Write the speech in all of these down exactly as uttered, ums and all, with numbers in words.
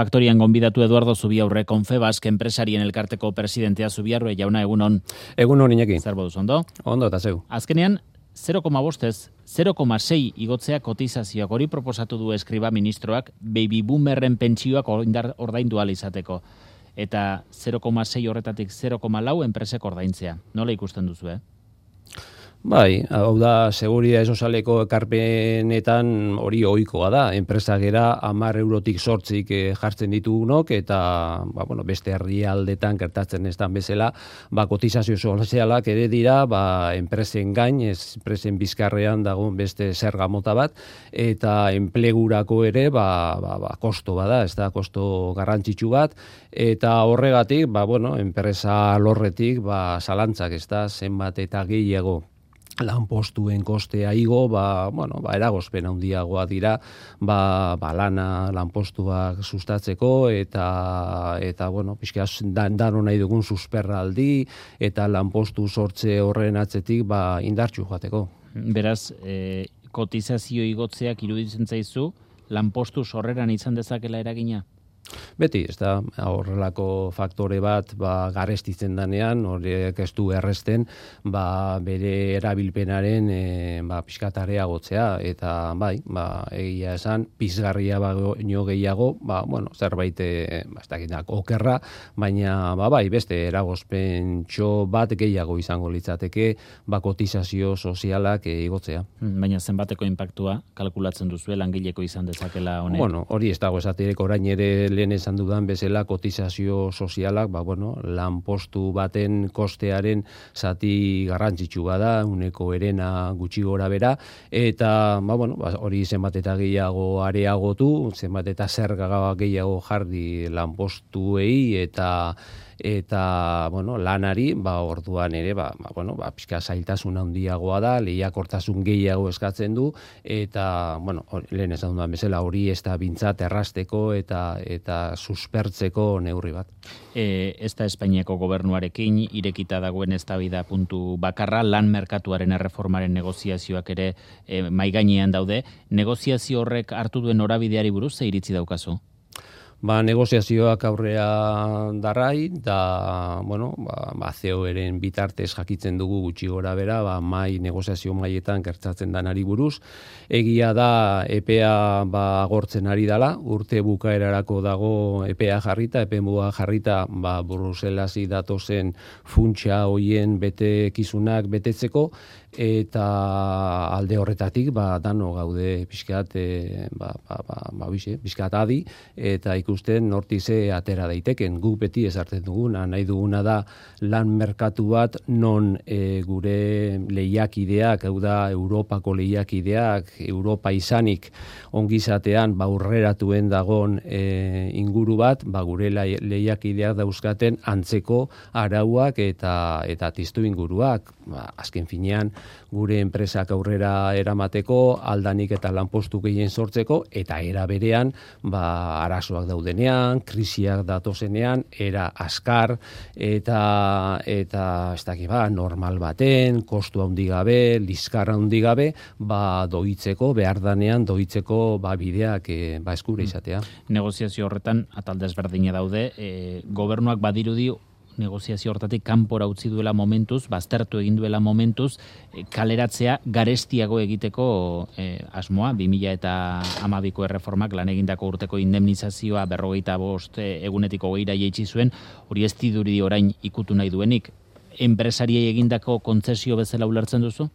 Faktorian gonbidatu Eduardo Zubiaurre, Confebask enpresarien elkarteko presidentea. Zubiaurre jauna, egunon. Egunon, Iñaki. Zer boduz, ondo? Ondo, eta zeu. Azkenean, zero koma bostez, zero koma sei igotzea kotizazioak, hori proposatu du eskriba ministroak, baby boomerren pentsioak ordaindu ahal izateko. Eta zero koma sei horretatik zero koma lau enpresek ordaintzea. Nola ikusten duzu, eh? Bai, hau da, seguridade sozialeko ekarpenetan hori ohikoa da. Enpresak era hamar eurotik zortzik jartzen ditugunok, eta ba, bueno, beste herrialdetan gertatzen ez dan bezala, ba, kotizazio sozialak ere dira, ba, enpresen gain, ez enpresen bizkarrean dagoen beste zerga mota bat, eta enplegurako ere, ba, ba, ba, kosto bada, ez da, kosto garrantzitsu bat, eta horregatik, ba, bueno, enpresa lorretik, ba, zalantzak, ez da, zenbat eta gehiago lanpostuen kostea igo, ba, bueno, ba, eragozpen handiagoa dira, ba, ba, lana lanpostuak sustatzeko, eta, eta bueno, pixka, dan, dano nahi dugun susperraldi, eta lanpostu sortze horren atzetik, ba, indartxu joateko. Beraz, e, kotizazio igotzeak iruditzen zaizu, lanpostu sorreran izan dezakela eragina? Beti, ez da, horrelako faktore bat ba, garestitzen danean, horiek ez du erresten, ba, bere erabilpenaren e, ba, pixkatarea gotzea, eta bai, ba, egia esan, pizgarria baino gehiago, ba, bueno, zerbait, e, ba, ez dakinak, okerra, baina, ba, bai, beste eragozpentxo bat gehiago izango litzateke, ba, kotizazio sozialak e, igotzea. Baina zenbateko inpaktua kalkulatzen duzu langileko izan dezakela honek? Bueno, hori ez dago esaterek orain ere lehen esan dudan bezala kotizazio sozialak, ba, bueno, lanpostu baten kostearen zati garrantzitsu bada, uneko erena gutxi gora bera, eta ba, bueno, ba, hori zenbat eta gehiago areagotu, zenbat eta zerga gehiago jarri lanpostuei eta eta bueno, lanari, ba, orduan ere, ba, ba, bueno, ba, pixka zailtasun handiagoa da, lehiakortasun gehiago eskatzen du, eta, bueno, lehen esan dudan bezala, hori ez da bintzat errasteko eta eta suspertzeko neurri bat. E, ez da Espainiako gobernuarekin irekita dagoen eztabaida puntu bakarra, lan merkatuaren erreformaren negoziazioak ere e, maigainean daude. Negoziazio horrek hartu duen norabideari buruz ze iritzi daukazu? Ba, negoziazioak aurrea darrai, da, bueno, ba, ba C E O-eren bitartez jakitzen dugu gutxi gora bera, ba, mai, negoziazio maietan gertatzen danari buruz. Egia da, epea ba, agortzen ari dala, urte bukaerarako dago epea jarrita, epe muga jarrita, ba, Bruselasi datozen funtsa hoien betekizunak betetzeko, eta alde horretatik, ba, dano gaude pixkat, e, ba, ba, ba, ba, bixe, pixkat adi, eta ikusten nortize atera daiteken. Guk beti ezartzen duguna, nahi duguna da lan merkatu bat non e, gure lehiakideak, hau da Europako lehiakideak, Europa izanik ongizatean ba aurreratuen dagon e, inguru bat, ba gure lehiakideak dauzkaten antzeko arauak eta eta tiztu inguruak. Ba, azken finean gure enpresak aurrera eramateko, aldanik eta lanpostu gehien sortzeko, eta era berean ba arazoak daudenean, krisiak datozenean, era askar eta eta ez dakit ba, normal baten, kostu handi gabe, liskar handi gabe, ba doitzeko, behar danean doitzeko ba bideak e, ba eskura izatea. Negoziazio horretan atal desberdina daude, e, gobernuak badirudi negoziazio hortatik kanpora utzi duela momentuz, baztertu egin duela momentuz, e, kaleratzea garestiago egiteko e, asmoa, bi mila hamabiko erreformak lan egindako urteko indemnizazioa berrogeita bost egunetik hogeira jaitsi zuen, hori ez diduri orain ikutu nahi duenik. Enpresariei egindako kontzesio bezala ulertzen duzu?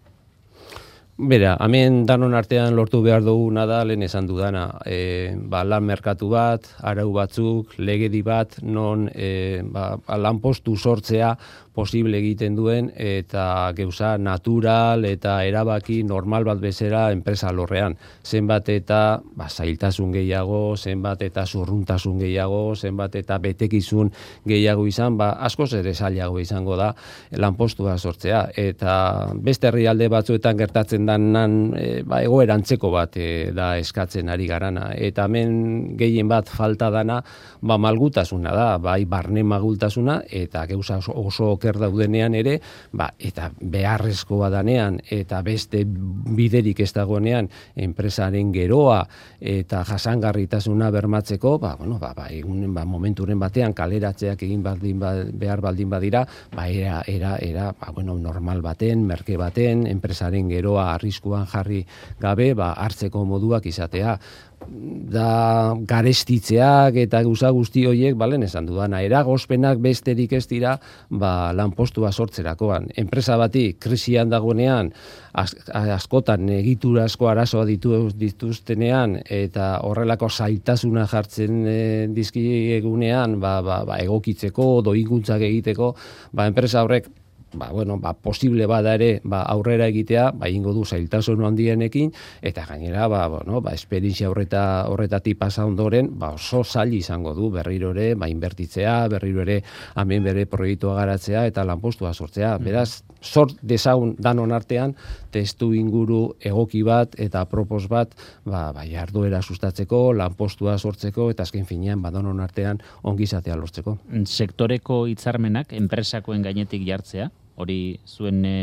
Bera, hemen danon artean lortu behar duguna da, lehen esan dudana, e, ba, lan merkatu bat, arau batzuk, legedi bat, non e, ba, lanpostu sortzea posible egiten duen, eta geuza natural eta erabaki normal bat bezera enpresa lorrean. Zenbat eta ba, zailtasun gehiago, zenbat eta zurruntasun gehiago, zenbat eta betekizun gehiago izan, ba, askoz ere zailago izango da lanpostua sortzea. Eta beste herrialde batzuetan gertatzen danan e, ba, egoerantzeko bat e, da eskatzen ari garana. Eta hemen gehien bat falta dana ba, malgutasuna da, bai barne malgutasuna, eta geuza oso oker daudenean ere, ba, eta beharrezkoa danean, eta beste biderik ez dagoenean, enpresaren geroa eta jasangarritasuna bermatzeko, ba, bueno, ba, ba, egun, ba, momenturen batean kaleratzeak egin baldin ba, behar baldin badira, ba, era, era, era ba, bueno, normal baten, merke baten, enpresaren geroa arriskuan jarri gabe, ba, hartzeko moduak izatea. Da garestitzeak eta gauza guzti horiek, balen esan dudana, eragozpenak besterik ez dira, ba, lanpostua sortzerakoan. Enpresa bati krisian dagoenean, az, askotan egitura asko arazoa ditu, dituztenean, eta horrelako zailtasuna jartzen e, dizkiegunean, ba, ba, ba, egokitzeko, doikuntzak egiteko, ba, enpresa horrek, ba, bueno, ba, posible bada ere, ba, aurrera egitea, ba, ingo du zailtasun handienekin, eta gainera, ba, bueno, ba, esperientzia horreta, horretatik pasa ondoren, ba, oso zail izango du berriro ere, ba, inbertitzea, berriro ere, hemen bere proiektua garatzea, eta lanpostua sortzea. Beraz, sort dezagun danon artean, testu inguru egoki bat, eta propos bat, ba, ba, jarduera sustatzeko, lanpostua sortzeko, eta azken finean, ba, danon artean, ongizatea lortzeko. Sektoreko hitzarmenak, enpresakoen gainetik jartzea, hori zuen e,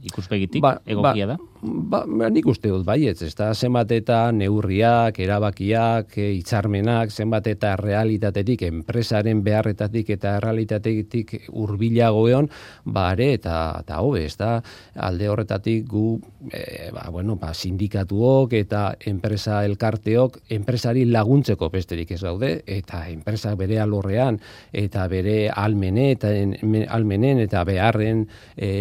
ikuspegitik, ba, egokia da? Ba, ba, nik uste dut baietz, ez da, zenbat eta neurriak, erabakiak, hitzarmenak, zenbat eta realitatetik, enpresaren beharretatik eta realitatetik hurbilago egon, ba, are, eta, eta hobe, ez da, alde horretatik gu, e, ba, bueno, ba, sindikatuok eta enpresa elkarteok, enpresari laguntzeko besterik ez gaude, eta enpresak bere alorrean, eta bere almene, eta almenen, eta beharren e,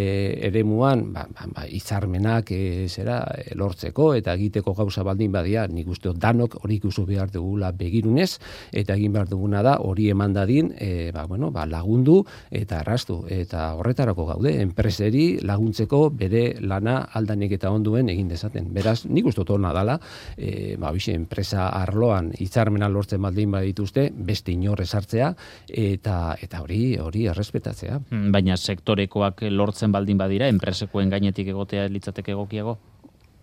eremuan, ba, ba, ba, hitzarmenak, e, zera lortzeko eta egiteko gauza baldin badia, nik uste danok hori ikusi behar dugula begirunez, eta egin behar duguna da hori eman dadin, e, ba, bueno, ba, lagundu eta arrastu, eta horretarako gaude, enpreseri laguntzeko bere lana aldanik eta onduen egin dezaten. Beraz, nik uste tona dala, e, ba, bixe, enpresa arloan hitzarmena lortzen baldin badituzte, beste inor esartzea, eta eta hori hori errespetatzea. Baina sektorekoak lortzen baldin badira, enpresekoen gainetik egotea litzateke egokiago?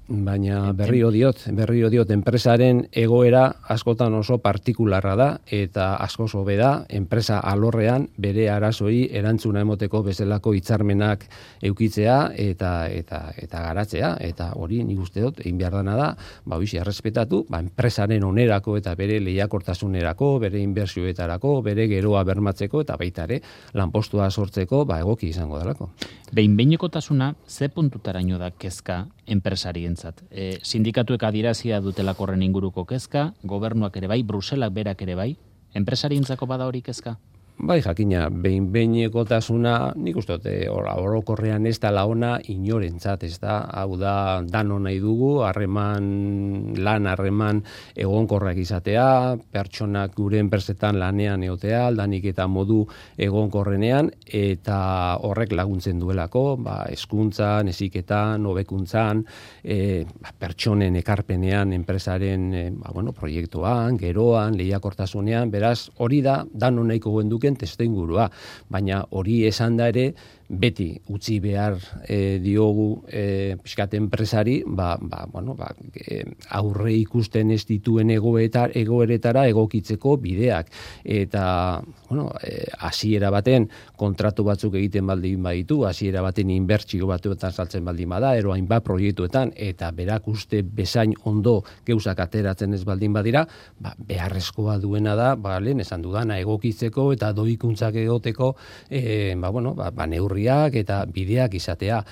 Baina berrio diot, berrio diot, enpresaren egoera askotan oso partikularra da, eta asko hobe da, enpresa alorrean bere arazoi erantzuna emoteko bezalako hitzarmenak eukitzea eta eta eta garatzea, eta hori nik uste dut, egin behar dana da, ba, bizi, errespetatu, ba, enpresaren onerako eta bere lehiakortasunerako, bere inbertsioetarako, bere geroa bermatzeko, eta baita ere, lanpostua sortzeko, ba, egoki izango delako. Behin-behinekotasuna, ze puntutaraino da kezka enpresarientzat? E, sindikatuek adierazia dutelako horren inguruko kezka, gobernuak ere bai, Bruselak berak ere bai, enpresarientzako bada hori kezka? Bai, jakina, behin-behinekotasuna, nik uste dut, orokorrean ez da laona inorentzat, ez da, hau da, dano nahi dugu, harreman, lan harreman egonkorrak izatea, pertsonak gure enpresetan lanean egotea, aldanik eta modu egonkorrenean, eta horrek laguntzen duelako, ba, hezkuntzan, heziketan, hobekuntzan, e, ba, pertsonen ekarpenean, enpresaren, e, ba, bueno, proiektuan, geroan, lehiakortasunean, beraz, hori da, dano nahiko genduke testuingurua, baina hori esan da ere, beti utzi behar e, diogu e, pixkat enpresari, ba, ba, bueno, ba, e, aurre ikusten ez dituen egoetar, egoeretara egokitzeko bideak. Eta, bueno, e, hasiera baten kontratu batzuk egiten baldin baditu, hasiera baten inbertsio batuetan saltzen baldin bada, ero hainbat proiektuetan, eta berak uste bezain ondo geuzak ateratzen ez baldin badira, ba, beharrezkoa duena da, ba, lehen esan dudana egokitzeko eta doikuntzak egoteko, e, ba, bueno, ba, ba neurriak eta bideak izatea.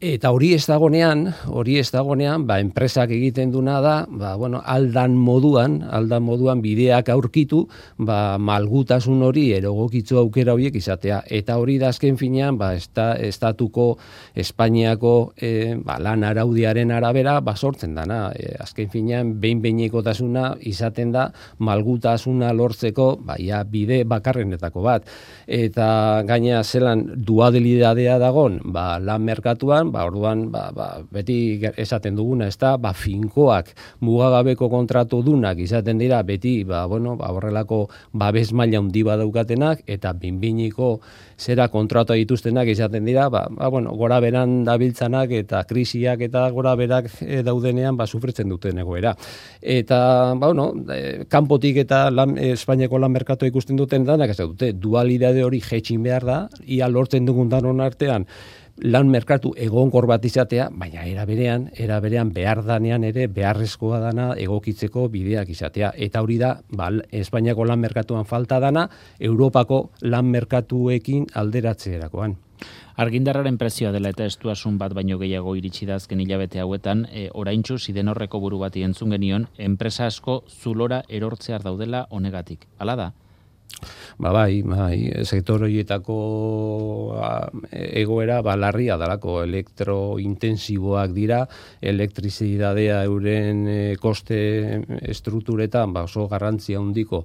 Eta hori ez dagonean, hori ez dagonean, ba, enpresak egiten duna da, ba, bueno, aldan moduan, aldan moduan bideak aurkitu, ba, malgutasun hori erogokitzu aukera horiek izatea. Eta hori da azken finean, ba, esta, estatuko Espainiako e, ba, lan araudiaren arabera, ba, sortzen dana. E, azken finean, behin-behinekotasuna izaten da, malgutasuna lortzeko, ba, ia, bide bakarrenetako bat. Eta gaina zelan dualidadea dagon, ba, lan merkatuan, kontuan, ba, orduan, ba, ba, beti esaten duguna, ez da, ba, finkoak mugagabeko kontratu dunak izaten dira, beti, ba, bueno, ba, horrelako babes maila handi badaukatenak, eta binbiniko zera kontratua dituztenak izaten dira, ba, ba, bueno, gora beran dabiltzanak eta krisiak eta gora berak e, daudenean ba, sufritzen duten egoera. Eta, ba, bueno, e, kanpotik eta lan, e, Espainiako lan merkatoa ikusten duten danak, ez dute, dualidade hori jetxin behar da, ia lortzen dugun danon artean, lan merkatu egonkor bat izatea, baina era berean, era berean behar danean ere beharrezkoa dana egokitzeko bideak izatea. Eta hori da, ba, Espainiako lan merkatuan falta dana, Europako lan merkatuekin alderatzerakoan. Argindarraren prezioa dela eta estuasun bat baino gehiago iritsi da azken hilabete hauetan, e, oraintsu Sidenorreko buru bati entzun genion, enpresa asko zulora erortzear daudela honegatik. Hala da? Ba bai, bai, sektor horietako egoera ba, larria dalako, elektrointensiboak dira, elektrizidadea euren koste estrukturetan ba, oso garrantzia handiko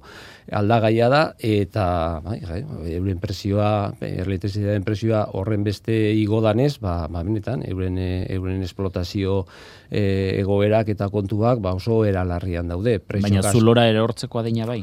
aldagaia da, eta bai, bai, euren presioa, elektrizidadeen presioa horren beste igo danez, ba, ba benetan, euren, euren esplotazio e, egoerak eta kontuak ba, oso era larrian daude. Baina zulora erortzeko adina bai?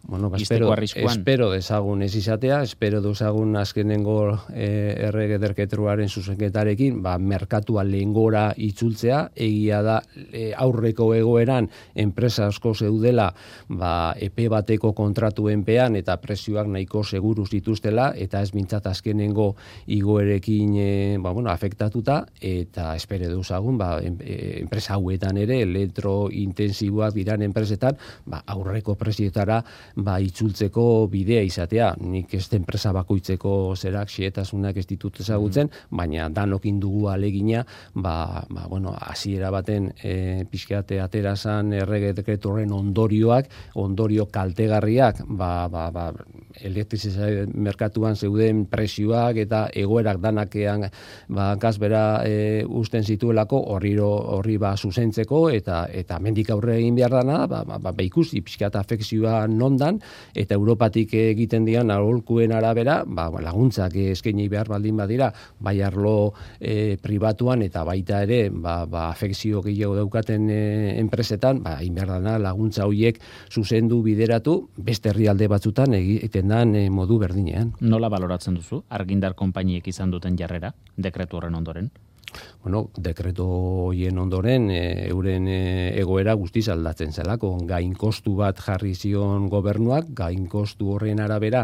Bueno, ba, espero, espero dezagun ez izatea, espero dezagun azkenengo eh, errege derketruaren zuzenketarekin, ba, merkatua lehengora itzultzea, egia da eh, aurreko egoeran enpresa asko zeudela ba, epe bateko kontratuen-pean eta prezioak nahiko seguru zituztela, eta ez mintzat azkenengo igoerekin eh, ba, bueno, afektatuta, eta espero dezagun ba, enpresa hauetan ere, elektrointensiboak diran enpresetan, ba, aurreko prezioetara ba, itzultzeko bidea izatea. Nik ez enpresa bakoitzeko zerak xietasunak ez ditut ezagutzen, mm. baina danokin dugu alegina, ba, ba, bueno, hasiera baten e, pixkeate aterazan errege dekretu horren ondorioak, ondorio kaltegarriak, ba, ba, ba, elektrizizazio merkatuan zeuden presioak eta egoerak danakean ba, kasbera e, usten zituelako horri horri ba, zuzentzeko eta eta mendik aurre egin behar dana, ba, ba, ba, ikusi pixkeata afekzioa non eta Europatik egiten dian aholkuen arabera, ba, laguntzak eskaini behar baldin badira, bai arlo e, pribatuan eta baita ere, ba, ba, afekzio gehiago daukaten e, enpresetan, ba, inberdana laguntza horiek zuzendu bideratu, beste herrialde batzutan egiten dan e, modu berdinean. Nola baloratzen duzu, argindar konpainiek izan duten jarrera, dekretu horren ondoren? Bueno, dekreto hoien ondoren e, euren e, egoera guztiz aldatzen zelako. Gain kostu bat jarri zion gobernuak, gain kostu horren arabera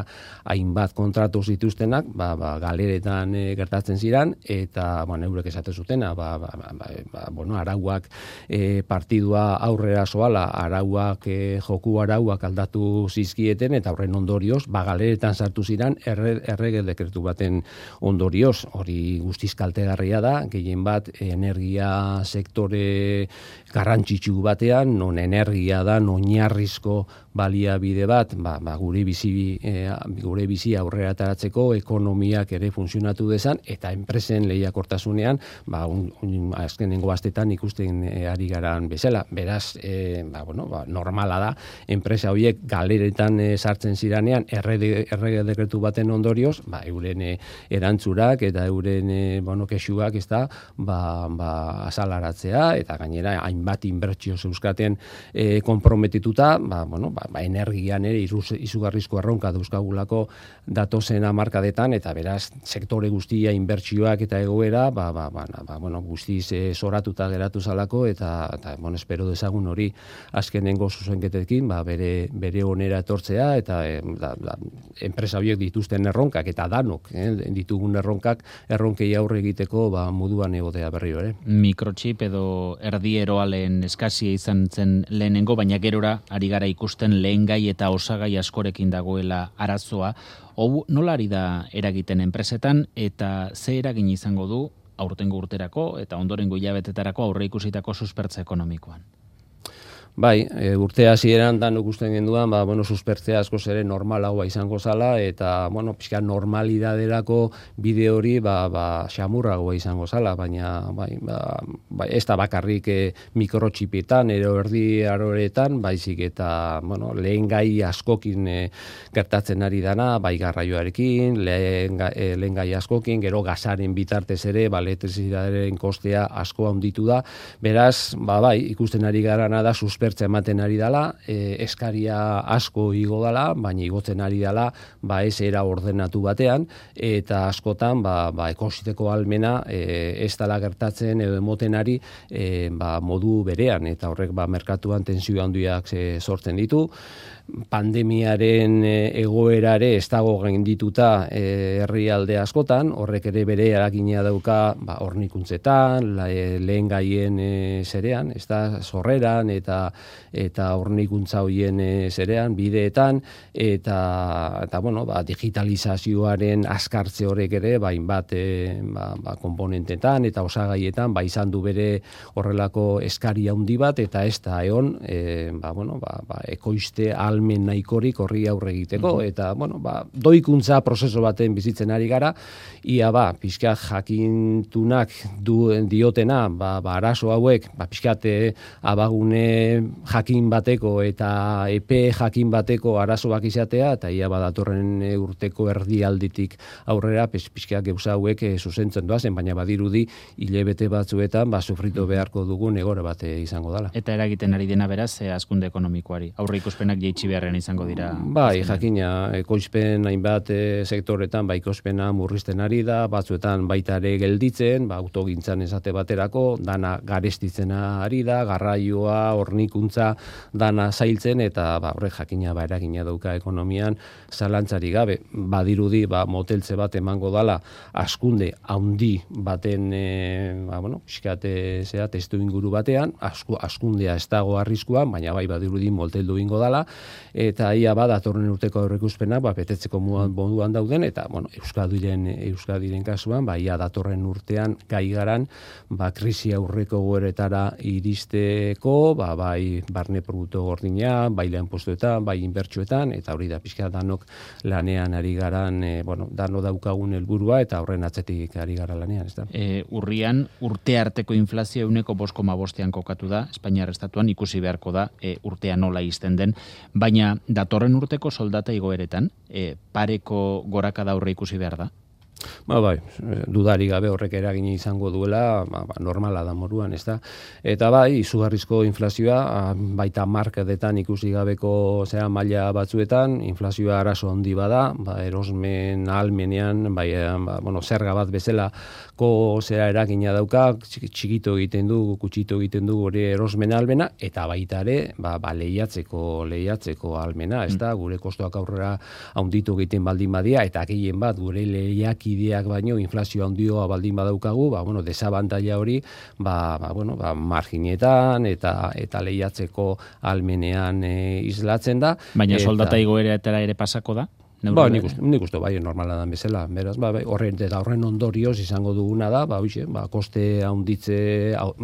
hainbat kontratu zituztenak, ba, ba, galeretan e, gertatzen ziran, eta bueno, eurek esaten zutena, ba, ba, ba, ba, bueno, arauak e, partidua aurrera soala, arauak, e, joku arauak aldatu zizkieten, eta horren ondorioz, ba, galeretan sartu ziran erre, errege dekretu baten ondorioz, hori guztiz kaltegarria da, gehien bat energia sektore garrantzitsu batean, non energia da, oinarrizko baliabide bat, ba, ba, gure bizi e, gure bizi aurrera ateratzeko ekonomiak ere funtzionatu dezan, eta enpresen lehiakortasunean, ba, un, un, azkenengo astetan ikusten e, ari garan bezala. Beraz, e, ba, bueno, ba, normala da, enpresa horiek galeretan e, sartzen ziranean, errege, errege dekretu baten ondorioz, ba, euren e, erantzurak eta euren e, bueno, kexuak ez da, ba, ba, azalaratzea, eta gainera hainbat inbertsio zeuzkaten e, konprometituta, ba, bueno, ba, ba, energian ere iruz, izugarrizko erronka dauzkagulako datozen hamarkadetan, eta beraz sektore guztia inbertsioak eta egoera ba, ba, ba, ba, bueno, guztiz e, zoratuta geratu zalako, eta, eta bueno, espero dezagun hori azkenengo zuzenketekin ba, bere, bere onera etortzea, eta e, da, da, enpresa horiek dituzten erronkak eta danok eh, ditugun erronkak erronkei aurre egiteko ba, moduan egotea berriro ere. Mikrochip edo erdieroalen eskasia izan zen lehenengo, baina gerora ari gara ikusten lehengai eta osagai askorekin dagoela arazoa. Hau nola ari da eragiten enpresetan eta ze eragin izango du aurtengo urterako eta ondorengo hilabetetarako aurre ikusitako suspertze ekonomikoan? Bai, e, urte hasieran danok usten genduan, ba, bueno, suspertzea askoz ere normalagoa izango zala, eta, bueno, pixka normalidaderako bide hori, ba, ba, xamurragoa izango zala, baina, bai, ba, bai, ez da bakarrik e, mikrotxipietan, ero erdi aroretan, baizik eta, bueno, lehen gai askokin e, gertatzen ari dana, bai garraioarekin, lehen, e, lehen gai askokin, gero gazaren bitartez ere, ba, elektrizitatearen kostea asko handitu da, beraz, ba, bai, ikusten ari garana da, suspertzea ematen ari dela, e, eskaria asko igo dela, baina igotzen ari dela, ba ez era ordenatu batean, eta askotan, ba, ba ekositeko almena e, ez dela gertatzen edo emoten ari e, ba, modu berean, eta horrek ba merkatuan tensio handiak e, sortzen ditu. Pandemiaren egoerare ez dago gaindituta e, herrialde askotan, horrek ere bere eragina dauka ba, hornikuntzetan, la, e, lehen gaien e, zerean, ez da, sorreran eta eta hornikuntza hoien e, zerean, bideetan, eta, eta bueno, ba, digitalizazioaren askartze horrek ere, bain bat e, ba, ba, komponentetan eta osagaietan, ba, izan du bere horrelako eskari handi bat, eta ez da egon, e, ba, bueno, ba, ba, ekoizte almen nahikorik horri aurre egiteko, uh-huh. eta, bueno, ba, doikuntza prozeso baten bizitzen ari gara, ia ba, pixkat jakintunak du, diotena, ba, ba, arazo hauek, ba, pixkat abagune jakin bateko eta epe jakin bateko arazoak izatea, eta ia badatorren urteko erdialditik aurrera, pixkat gauza hauek e, zuzentzen doazen, baina badirudi hilebete batzuetan, ba, sufritu beharko dugun egora bat izango dela. Eta eragiten ari dena beraz, e, hazkunde ekonomikoari. Aurre ikuspenak jeitsi beharrean izango dira. Bai, jakina, ekoizpen hainbat e, sektoretan, ba, ekoizpena murrizten ari da, batzuetan baita ere gelditzen, ba, autogintzan esate baterako, dana garestitzen ari da, garraioa, hornikuntza, dana zailtzen, eta ba, horrek jakina ba, eragina dauka ekonomian, zalantzari gabe, badirudi, ba, moteltze bat emango dala, askunde handi baten, e, ba, bueno, pixkate zea, testu inguru batean, asku, askundea ez dago arriskuan, baina bai badirudi moteldu ingo dala, eta ia ba, datorren urteko aurreikuspenak, ba, betetzeko moduan dauden, eta, bueno, Euskadiren, Euskadiren kasuan, ba, ia datorren urtean gai garan, ba, krisi aurreko goeretara iristeko, ba, bai, barne produktu gordina, bai lehen postuetan, bai inbertsuetan, eta hori da pixka danok lanean ari garan, e, bueno, dano daukagun helburua, eta horren atzetik ari gara lanean, ez da? E, urrian, urte arteko inflazio euneko bost koma bostean kokatu da, Espainiar estatuan ikusi beharko da, e, urtea nola izten den, baina datorren urteko soldata igoeretan, e, pareko gorakada aurre ikusi behar da? Ba, bai, dudari gabe horrek eragina izango duela, ba, ba, normala da moruan, ez da. Eta bai, izugarrizko inflazioa, baita markedetan ikusi gabeko zera maila batzuetan, inflazioa arazo handi bada, ba, erosmen ahalmenean, bai, ba, bueno, zerga bat bezala ko zera eragina dauka, txikito egiten du, kutsito egiten du gure erosmen ahalmena, eta baita ere, ba, ba, lehiatzeko, lehiatzeko ahalmena, ez da, gure kostuak aurrera handitu egiten baldin badia, eta gehien bat, gure lehiak ideak baino inflazio handioa baldin badaukagu, ba bueno, desabantaila hori, ba, ba bueno, ba marginetan eta eta lehiatzeko almenean e, islatzen da. Baina eta, soldata igoeretara ere pasako da? Ba, nik uste, nik uste, bai, normala da bezala, beraz, ba, bai, horren, eta horren ondorioz izango duguna da, ba, hoxe, ba, koste handitze,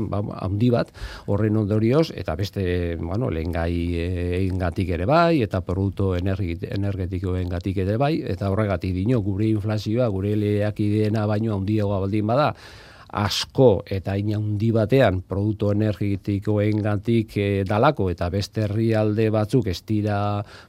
ba, handi bat, horren ondorioz, eta beste, bueno, lehen gai engatik ere bai, eta produktu energetikoen gatik ere bai, eta horregatik dino, gure inflazioa, gure lehiakideena baino handiagoa baldin bada, asko eta ina handi batean produktu energetikoen gantik e, dalako eta beste herrialde batzuk ez dira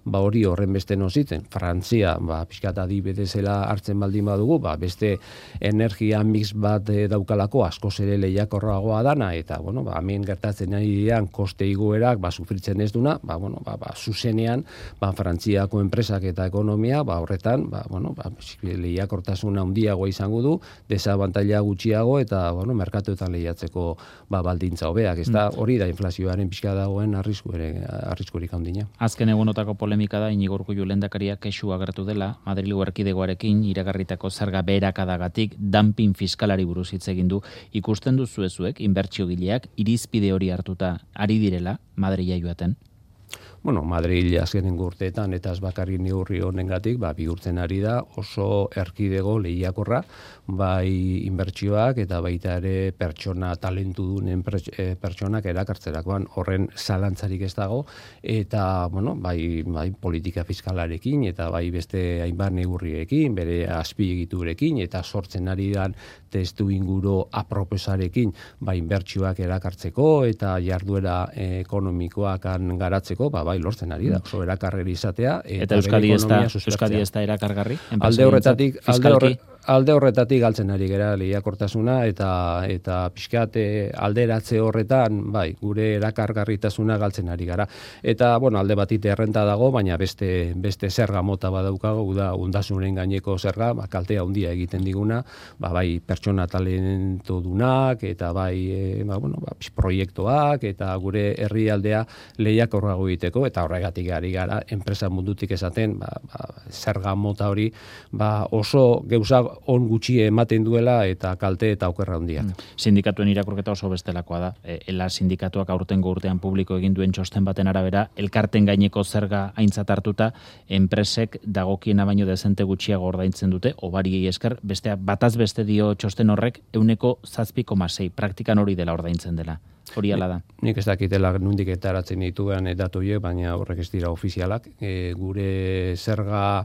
ba hori horren beste nozitzen. Frantzia, ba, pixkat adibidezela hartzen baldin badugu, ba, beste energia mix bat e, daukalako askoz ere lehiakorragoa dana, eta bueno, ba, hemen gertatzen ari dian koste igoerak ba, sufritzen ez duna, ba, bueno, ba, ba, zuzenean ba, Frantziako enpresak eta ekonomia ba, horretan ba, bueno, ba, lehiakortasuna handiagoa izango du, desabantaila gutxiago, eta eta bueno, merkatuetan lehiatzeko ba, baldintza hobeak, ez da, hori da inflazioaren pixka dagoen arriskurik handina. Azken egunotako polemika da, Iñigo Urkullu lehendakariak kexu agertu dela, Madrilgo erkidegoarekin iragarritako zerga beherakadagatik dumping fiskalari buruz hitz egin du. Ikusten duzu ezuek, inbertsiogileak irizpide hori hartuta ari direla Madrila joaten? bueno, Madrid azkenen urteetan eta ez bakarrik neurri honengatik, ba, bihurtzen ari da oso erkidego lehiakorra, bai inbertsioak eta baita ere pertsona talentu dunen pertsonak erakartzerakoan horren zalantzarik ez dago, eta, bueno, bai, bai politika fiskalarekin eta bai beste hainbat neurriekin, bere azpiegiturekin eta sortzen ari dan testu inguru aproposarekin, bai inbertsioak erakartzeko eta jarduera ekonomikoak garatzeko, ba, bai lortzen ari da, oso erakargeri izatea. Eta Euskadi ez da, Euskadi ez da erakargarri? Alde horretatik, alde horretatik, alde horretatik galtzen ari gera lehiakortasuna eta eta pixkat alderatze horretan, bai, gure erakargarritasuna galtzen ari gara. Eta, bueno, alde batit errenta dago, baina beste beste zerga mota badaukago, da ondasunen gaineko zerga, ba, kaltea handia egiten diguna, ba, bai pertsona talentodunak eta bai e, ba, bueno, ba, proiektuak eta gure herrialdea lehiakorrago egiteko, eta horregatik ari gara enpresa mundutik esaten, ba, ba, zerga mota hori ba, oso geuza on gutxi ematen duela eta kalte eta okerra handiak. Mm. Sindikatuen irakurketa oso bestelakoa da. E, ela sindikatuak aurtengo urtean publiko egin duen txosten baten arabera, elkarten gaineko zerga aintzat hartuta, enpresek dagokiena baino dezente gutxiago ordaintzen dute, obariei esker, bestea bataz beste dio txosten horrek ehuneko zazpi koma sei, praktikan hori dela ordaintzen dela. Hori ala da. Nik ez dakitela nondik etaratzen dituen datu horiek, baina horrek ez dira ofizialak. E, gure zerga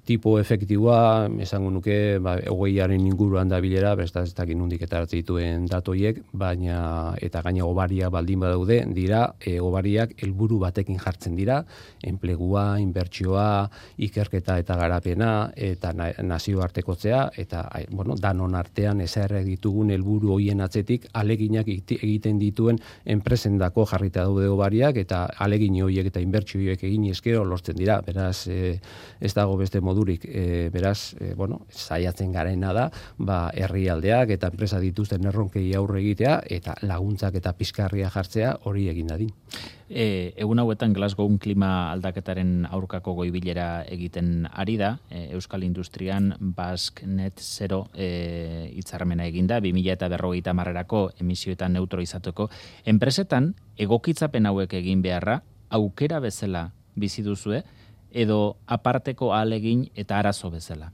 tipo efektiboa, esango nuke, ba, hogeiaren inguruan da bilera, besta ez dakit nondik etaratzen dituen datu horiek, baina eta gaina obaria baldin badaude, dira, e, obariak helburu batekin jartzen dira, enplegua, inbertsioa, ikerketa eta garapena, eta na, nazioartekotzea, eta bueno, danon artean ezarri ditugun helburu hoien atzetik aleginak egiten dituen enpresendako jarrita daude obariak, eta alegin horiek eta inbertsio horiek egin eskero lortzen dira. Beraz, e, ez dago beste modurik, e, beraz, e, bueno, saiatzen garena da, ba, herrialdeak eta enpresa dituzten erronkei aurre egitea, eta laguntzak eta pizkarria jartzea hori egin dadin. E, egun hauetan Glasgow klima aldaketaren aurkako goibilera egiten ari da, e, Euskal Industrian Basque Net Zero e, hitzarmena eginda, bi mila berrogeita hamarrerako emisioetan neutro izateko. Enpresetan, egokitzapen hauek egin beharra, aukera bezala bizi duzue, edo aparteko ahalegin eta arazo bezala?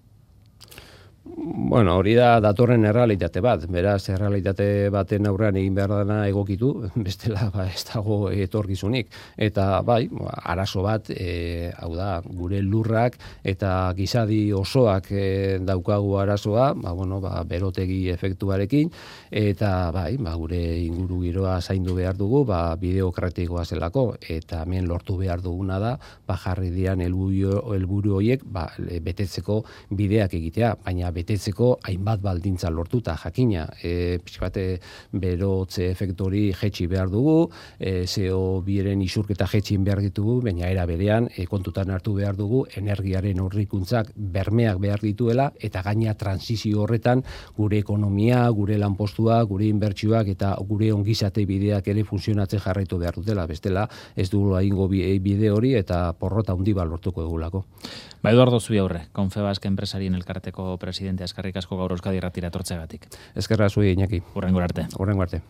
Bueno, hori da datorren errealitate bat, beraz errealitate baten aurrean egin behar dana egokitu, bestela ba, ez dago etorkizunik. Eta bai, arazo bat, e, hau da, gure lurrak eta gizadi osoak e, daukagu arazoa, ba, bueno, ba, berotegi efektuarekin, eta bai, ba, gure inguru giroa zaindu behar dugu, ba, bideokratikoa zelako, eta hemen lortu behar duguna da, ba, jarri dian helburu horiek ba, betetzeko bideak egitea, baina betetzeko hainbat baldintza lortuta jakina. E, pixkate berotze efektori jetxi behar dugu, e, C O biren isurketa jetxin behar ditugu, baina era berean e, kontutan hartu behar dugu energiaren horrikuntzak bermeak behar dituela, eta gaina transizio horretan gure ekonomia, gure lanpostua, gure inbertsioak eta gure ongizate bideak ere funtzionatzen jarraitu behar dutela. Bestela ez dugu egingo bide hori eta porrota handi bat lortuko dugulako. Ba, Eduardo Zubiaurre, Confebask enpresarien elkarteko presidente, eskerrik asko gaur Euskadi Irratira etortzeagatik. Eskerra zuei, Iñaki. Hurrengo arte. Hurrengo arte.